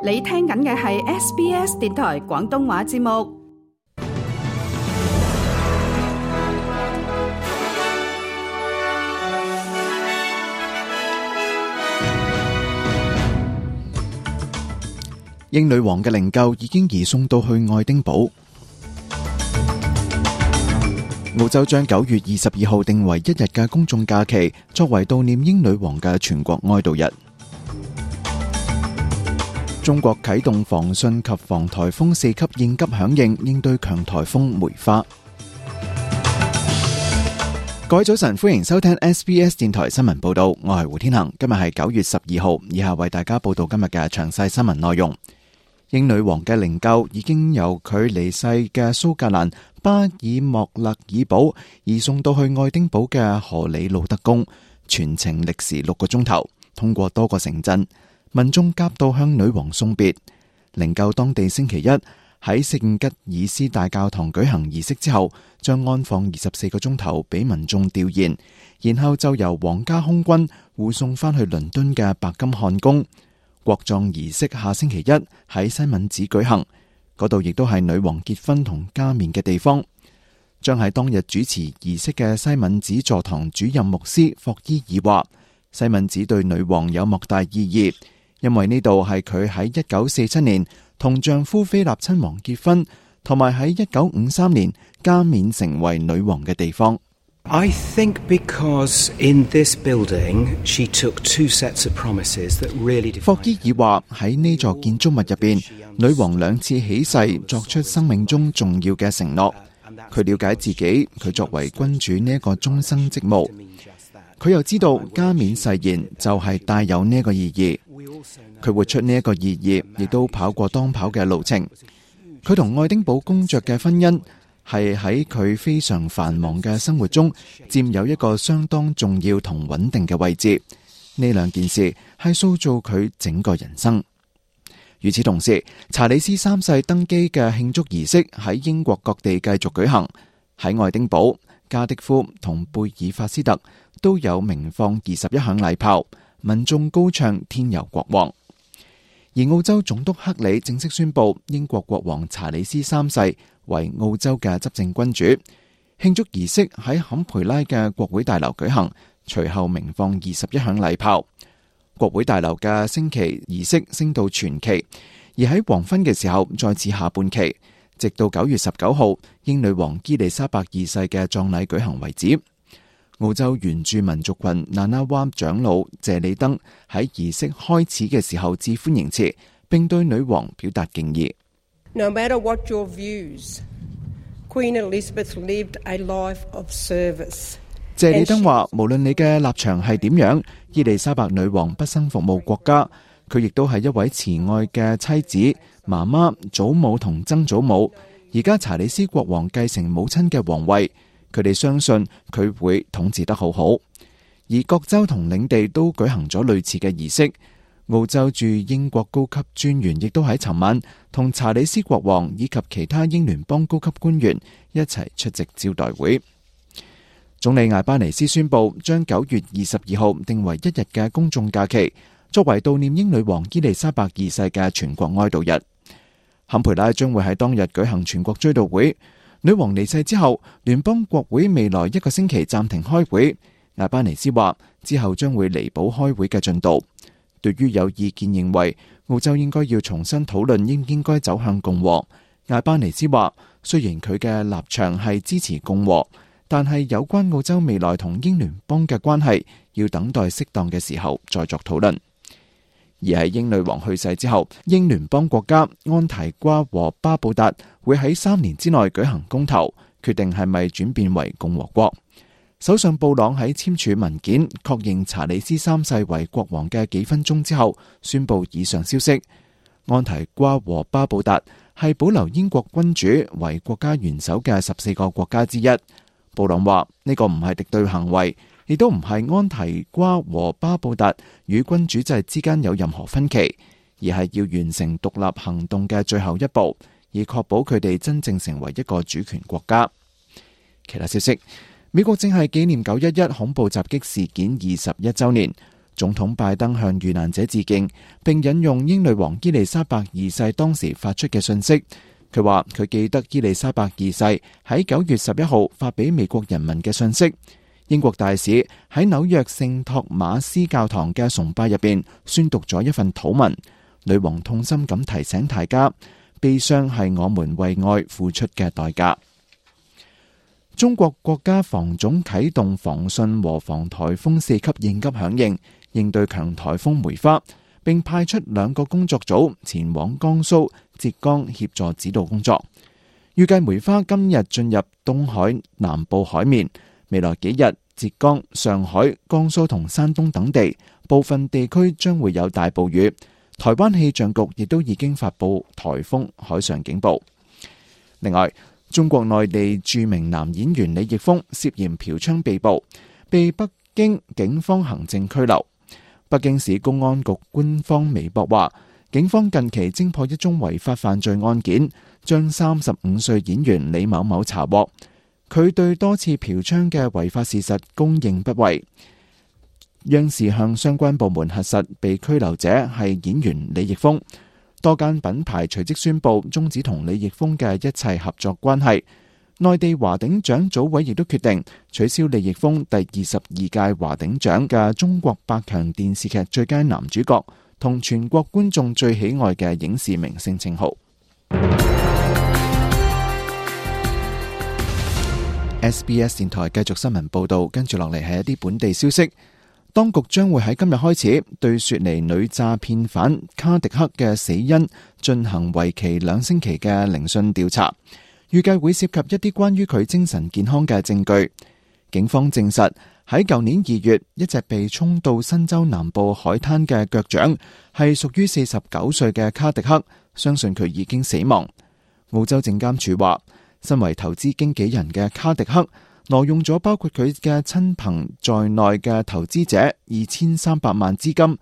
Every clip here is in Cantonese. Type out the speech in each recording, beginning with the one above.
你聽緊嘅係 SBS 電台廣東話節目。英女王嘅靈柩已經移送到去愛丁堡。澳洲將9月22號定為一日嘅公眾假期，作為悼念英女王嘅全國哀悼日。中國啟動防汛及防颱風4級應急響應，應對強颱風梅花。各位早晨，歡迎收聽 SBS 電台新聞報道，我係胡天恒。今日係9月12號，以下為大家報道今日嘅詳細新聞內容。英女王嘅靈柩已經由佢離世嘅蘇格蘭巴爾莫勒爾堡移送到去愛丁堡嘅荷里路德宮，全程歷時6個鐘頭，通過多個城鎮，民眾夾道向女王送別。靈柩當地星期一喺聖吉爾斯大教堂舉行儀式之後，將安放24個鐘頭俾民眾弔唁，然後就由皇家空軍護送翻去倫敦嘅白金漢宮。國葬儀式下星期一喺西敏寺舉行，嗰度亦都係女王結婚同加冕嘅地方。將喺當日主持儀式嘅西敏寺座堂主任牧師霍伊爾話，西敏寺對女王有莫大意義，因為呢度係佢喺1947年同丈夫菲臘親王結婚，同埋喺1953年加冕成為女王嘅地方。I think because in this building she took two sets of promises that really defined her. 霍伊爾話喺呢座建築物入邊，女王2次起誓作出生命中重要嘅承諾。佢了解自己，佢作為君主呢一個終生職務。佢又知道加冕誓言就係帶有呢一個意義。佢活出呢一個意義，亦都跑過當跑嘅路程。佢同愛丁堡公爵嘅婚姻係喺佢非常繁忙嘅生活中佔有一個相當重要同穩定嘅位置。呢兩件事係塑造佢整個人生。與此同時，查理斯3世登基嘅慶祝儀式喺英國各地繼續舉行。喺愛丁堡、加迪夫同貝爾法斯特都有鳴放21響禮炮，民眾高唱天佑國王。而澳洲總督克里正式宣布英國國王查理斯3世為澳洲嘅執政君主。慶祝儀式喺坎培拉嘅國會大樓舉行，隨後鳴放21響禮炮。國會大樓嘅升旗儀式升到全旗，而喺黃昏嘅時候再次下半旗，直到9月19號英女王伊麗莎白2世嘅葬禮舉行為止。澳洲原住民族群那拿哇長老謝里登喺儀式開始嘅時候致歡迎詞，並對女王表達敬意。No matter what your views, Queen Elizabeth lived a life of service. 謝里登話，無論你嘅立場係點樣，伊麗莎白女王畢生服務國家，佢亦都係一位慈愛嘅妻子、媽媽、祖母同曾祖母。而家查理斯國王繼承母親嘅皇位，佢哋相信佢會統治得好好。而各州同領地都舉行咗類似嘅儀式。澳洲駐英國高級專員亦都喺尋晚同查理斯國王以及其他英聯邦高級官員一齊出席招待會。總理艾巴尼斯宣布將9月22號定為一日嘅公眾假期，作為悼念英女王伊麗莎白2世嘅全國哀悼日。坎培拉將會喺當日舉行全國追悼會。女王離世之後，聯邦國會未來1個星期暫停開會。艾巴尼斯話之後將會彌補開會嘅進度。對於有意見認為澳洲應該要重新討論應唔應該走向共和，艾巴尼斯話雖然佢嘅立場係支持共和，但係有關澳洲未來同英聯邦嘅關係，要等待適當嘅時候再作討論。而喺英女王去世之後，英聯邦國家安提瓜和巴布達會喺3年之內舉行公投，決定係咪轉變為共和國。首相布朗喺簽署文件確認查理斯3世為國王嘅幾分鐘之後，宣布以上消息。安提瓜和巴布達係保留英國君主為國家元首嘅14個國家之一。布朗話呢個唔係敵對行為，亦都唔係安提瓜和巴布達與君主制之間有任何分歧，而係要完成獨立行動嘅最後一步，以確保佢哋真正成為一個主權國家。其他消息，美國正係紀念911恐怖襲擊事件21週年。總統拜登向遇難者致敬，並引用英女王伊麗莎白二世當時發出嘅信息。佢話佢記得伊麗莎白二世喺9月11號發俾美國人民嘅信息。英國大使喺紐約聖托馬斯教堂嘅崇拜入邊宣讀咗一份禱文。女王痛心咁提醒大家，悲傷係我們為愛付出嘅代價。中國國家防總啟動防汛和防颱風4級應急響應，應對強颱風梅花，並派出2個工作組前往江蘇、浙江協助指導工作。預計梅花今日進入東海南部海面，未來幾日浙江、上海、江蘇同山東等地部分地區將會有大暴雨。台灣氣象局亦都已經發布颱風海上警報。另外，中國內地著名男演員李易峰涉嫌嫖娼被捕，被北京警方行政拘留。北京市公安局官方微博話，警方近期偵破一宗違法犯罪案件，將35歲演員李某某查獲。佢對多次嫖娼嘅違法事實供認不諱。央視向相關部門核實被拘留者係演員李易峰。多間品牌隨即宣布終止同李易峰嘅一切合作關係。內地華鼎獎組委亦都決定取消李易峰第22屆華鼎獎嘅中國百強電視劇最佳男主角同全國觀眾最喜愛嘅影視明星稱號。SBS 電台繼續新聞報道，跟住落嚟係一啲本地消息。當局將會喺今日開始對雪梨女詐騙犯卡迪克嘅死因進行為期2星期嘅聆訊調查，預計會涉及一啲關於佢精神健康嘅證據。警方證實喺舊年2月，一隻被沖到新州南部海灘嘅腳掌係屬於49歲嘅卡迪克，相信佢已經死亡。澳洲證監署話，身為投資經紀人嘅卡迪克挪用咗包括佢嘅親朋在內嘅投資者2300萬資金，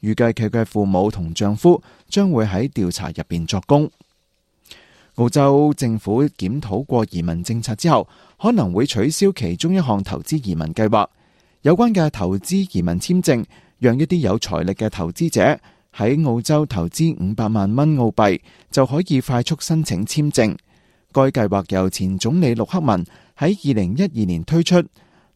預計佢嘅父母同丈夫將會喺調查入邊作供。澳洲政府檢討過移民政策之後，可能會取消其中一項投資移民計劃。有關嘅投資移民簽證，讓一啲有財力嘅投資者喺澳洲投資500萬蚊澳幣就可以快速申請簽證。該計劃由前總理陸克文喺2012年推出，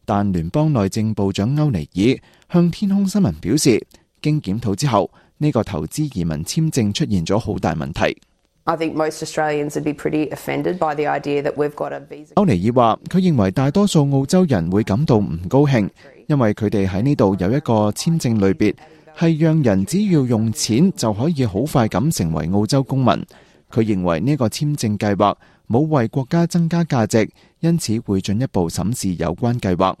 但聯邦內政部長歐尼爾向天空新聞表示，經檢討之後，呢個投資移民簽證出現咗好大問題。歐尼爾話，佢認為大多數澳洲人會感到唔高興，因為佢哋喺呢度有一個簽證類別，係讓人只要用錢就可以好快咁成為澳洲公民。佢認為呢個簽證計劃冇為國家增加價值，因此會進一步審視有關計劃。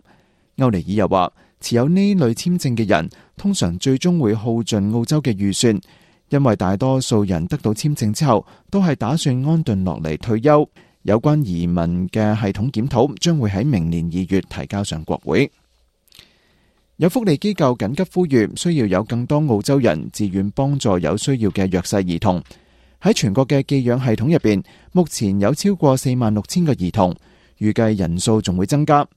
歐尼爾又話，持有呢類簽證嘅人通常最終會耗盡澳洲嘅預算，因為大多數人得到簽證之後都係打算安頓落嚟退休。有關移民嘅系統檢討將會喺明年2月提交上國會。有福利機構緊急呼籲，需要有更多澳洲人自願幫助有需要嘅弱勢兒童。喺全國嘅寄養系統入邊，目前有超過46000個兒童，預計人數仲會增加。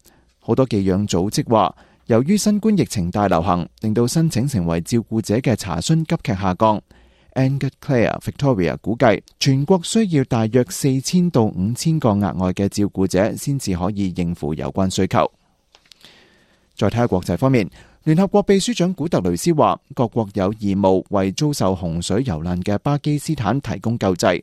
好多寄養組織話，由於新冠疫情大流行，令到申請成為照顧者嘅查詢急劇下降。Angus Clare Victoria 估計，全國需要大約4000到5000個額外嘅照顧者，先至可以應付有關需求。再睇下國際方面。聯合國秘書長古特雷斯話，各國有義務為遭受洪水蹂躪嘅巴基斯坦提供救濟。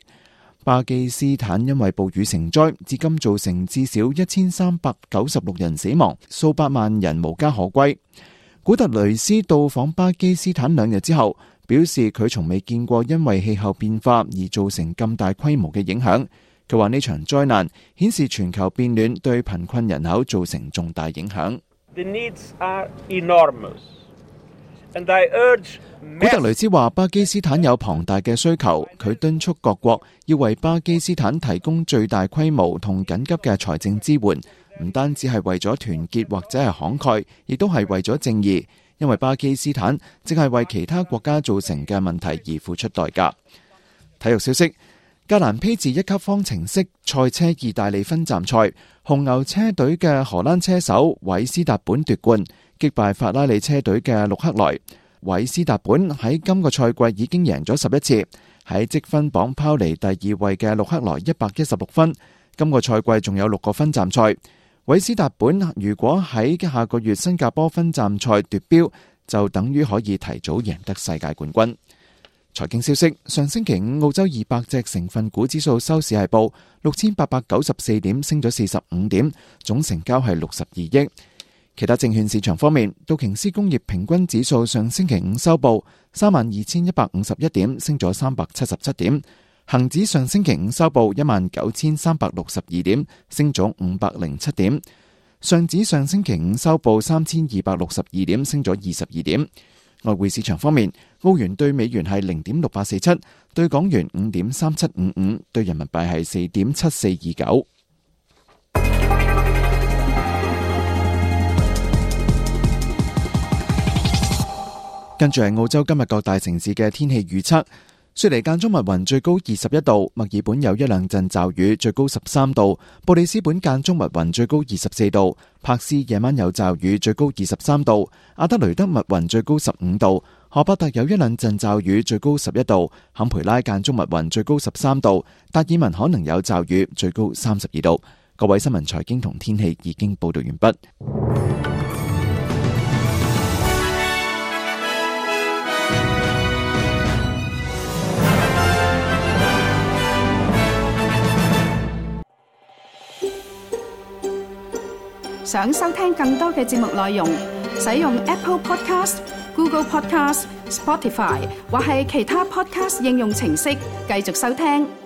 巴基斯坦因為暴雨成災，至今造成至少1396人死亡，數百萬人無家可歸。古特雷斯到訪巴基斯坦2日之後，表示佢從未見過因為氣候變化而造成咁大規模嘅影響。佢話呢場災難顯示全球變暖對貧困人口造成重大影響。The needs are enormous. And I urge... 古特雷斯話巴基斯坦有龐大嘅需求，佢敦促各國要為巴基斯坦提供最大規模同緊急嘅財政支援，唔單止係為咗團結或者係慷慨，亦都係為咗正義，因為巴基斯坦正係為其他國家造成嘅問題而付出代價。體育消息，格蘭披治1級方程式賽車意大利分站賽，紅牛車隊嘅荷蘭車手韋斯達本奪冠，擊敗法拉利車隊嘅陸克萊。韋斯達本喺今個賽季已經贏咗11次，喺積分榜拋離第2位嘅陸克萊116分。今個賽季仲有6個分站賽。韋斯達本如果喺下個月新加坡分站賽奪標，就等於可以提早贏得世界冠軍。財經消息，上星期五澳洲200隻成分股指數收市係報6894點，升咗45點，總成交係62億。其他證券市場方面，道瓊斯工業平均指數上星期五收報32,151點，升咗377點。恒指上星期五收報19,362點，升咗507點。上指上星期五收報3,262點，升咗22點。外匯市場方面，澳元對美元係0.6847，對港元5.3755，對人民幣係4.7429。跟住係澳洲今日各大城市嘅天氣預測。雪梨間中密雲，最高21度；墨爾本有一兩陣驟雨，最高13度；布里斯本間中密雲，最高24度；柏斯夜晚有驟雨，最高23度；阿德雷德密雲，最高15度；荷伯特有一兩陣驟雨，最高11度；坎培拉間中密雲，最高13度；達爾文可能有驟雨，最高32度。各位新聞財經同天氣已經報道完畢。想收聽更多嘅節目內容，使用 Apple Podcast、Google Podcast、Spotify 或係其他 Podcast 應用程式繼續收聽。